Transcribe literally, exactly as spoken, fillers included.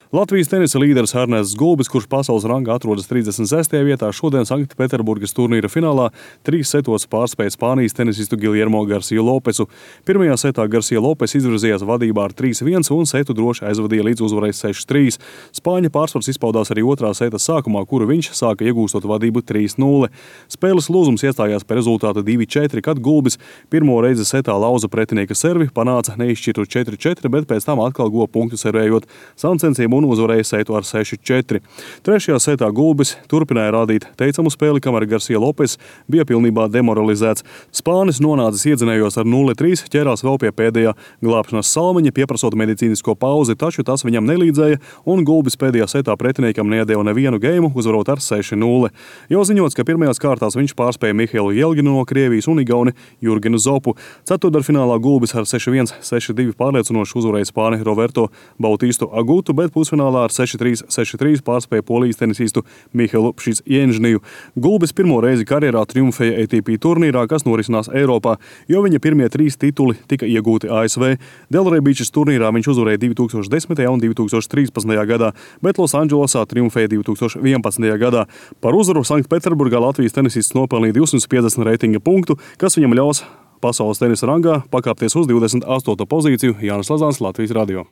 Latvijas tenisa līderis Ernests Gulbis, kurš pasaules rangā atrodas trīsdesmit sestajā vietā, šodien Sanktpēterburgas turnīra finālā trīs setos pārspēja Spānijas tenisistu Giljermo Garcia Lopesu. Pirmajā setā Garcia Lopes izvirzījās vadībā ar trīs viens un setu droši aizvadīja līdz uzvarai seši trīs. Spāņa pārsvars izpaudās arī otrā seta sākumā, kuru viņš sāka iegūstot vadību trīs nulle. Spēles lūzums iestājās par rezultātu divi četri, kad Gulbis pirmo reizi setā lauza pretinieka servi, panāca neizšķirtu četri četri, bet pēc tam atkal guva punktu servējot sancensiem un uzvarēja setu ar seši četri. Trešajā setā Gulbis turpināja rādīt teicamu spēli, kamēr Garcia Lopes bija pilnībā demoralizēts. Spānis nonācis iedzinējos ar nulle trīs, ķērās vēl pie pēdējā glābšanas salmiņa, pieprasot medicīnisko pauzi, taču tas viņam nelīdzēja, un Gulbis pēdējā setā pretiniekam neiedeva nevienu geimu, uzvarot ar seši nulle. Jau ziņots, ka pirmajās kārtās viņš pārspēja Mihailu Jelginu no Krievijas un igauni Jurgenu Zopu. Ceturtdaļfinālā Gulbis ar seši viens, seši divi pārliecinoši uzvarēja Spāni Roberto Bautistu Agutu, bet pusfinālā ar seši trīs, seši trīs pārspēja polijas tenisistu Mihailu Pšizjēņžniju. Gulbis pirmo reizi karjerā triumfēja A T P turnīrā, kas norisinās Eiropā, jo viņa pirmie trīs tituli tika iegūti A S V. Delray Beachas turnīrā viņš uzvarēja divi tūkstoši desmitajā un divi tūkstoši trīspadsmitajā gadā, bet Losandželosā triumfēja divi tūkstoši vienpadsmitajā gadā. Par uzvaru Sanktpēterburgā Latvijas tenisists nopelnīja divsimt piecdesmit reitinga punktu, kas viņam ļaus pasaules tenisa rangā pakāpties uz divdesmit astoto pozīciju. Jānis Lazāns, Latvijas radio.